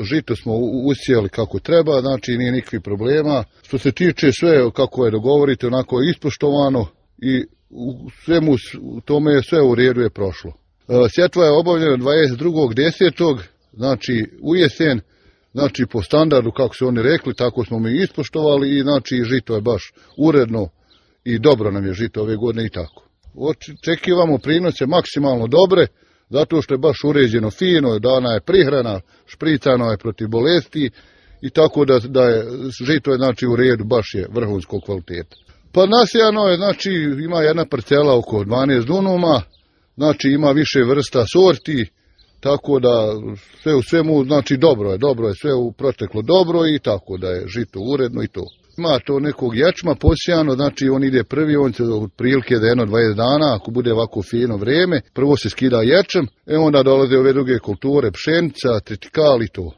Žito smo usijali kako treba, znači nije nikakvih problema. Što se tiče sve kako je dogovorite, onako je ispoštovano i u svemu tome je sve u redu je prošlo. Sjetva je obavljena 22.10. znači u jesen, znači po standardu kako su oni rekli, tako smo mi ispoštovali i znači žito je baš uredno i dobro nam je žito ove godine i tako. Očekivamo prinose maksimalno dobre, zato što je baš uređeno fino, dana je prihrana, špricano je protiv bolesti i tako da je žito je znači u redu, baš je vrhunskog kvaliteta. Pa nasijano je, znači ima jedna parcela oko 12 dunuma, znači ima više vrsta sorti, tako da sve u svemu, znači dobro je sve u proteklo dobro i tako da je žito uredno i to. Ima to nekog ječma posijano, znači on ide prvi, on će otprilike da 20 dana, ako bude ovako fino vrijeme, prvo se skida ječem, onda dolaze ove druge kulture, pšenica, tritikal i to.